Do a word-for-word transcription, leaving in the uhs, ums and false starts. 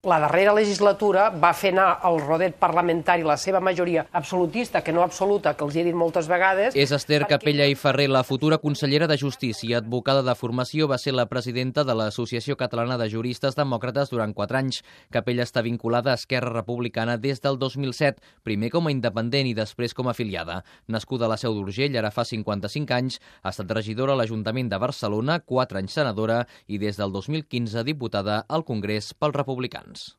La darrera legislatura va fer anar al rodet parlamentari la seva majoria absolutista, que no absoluta, que els he dit moltes vegades. És Esther Capella i Ferrer, la futura consellera de Justícia, advocada de formació, va ser la presidenta de l'Associació Catalana de Juristes Demòcrates durant quatre anys. Capella està vinculada a Esquerra Republicana des del dos mil set, primer com a independent i després com a afiliada. Nascuda a la Seu d'Urgell, ara fa cinquanta-cinc anys, ha estat regidora a l'Ajuntament de Barcelona, quatre anys senadora i des del dos mil quinze diputada al Congrés pels Republicans.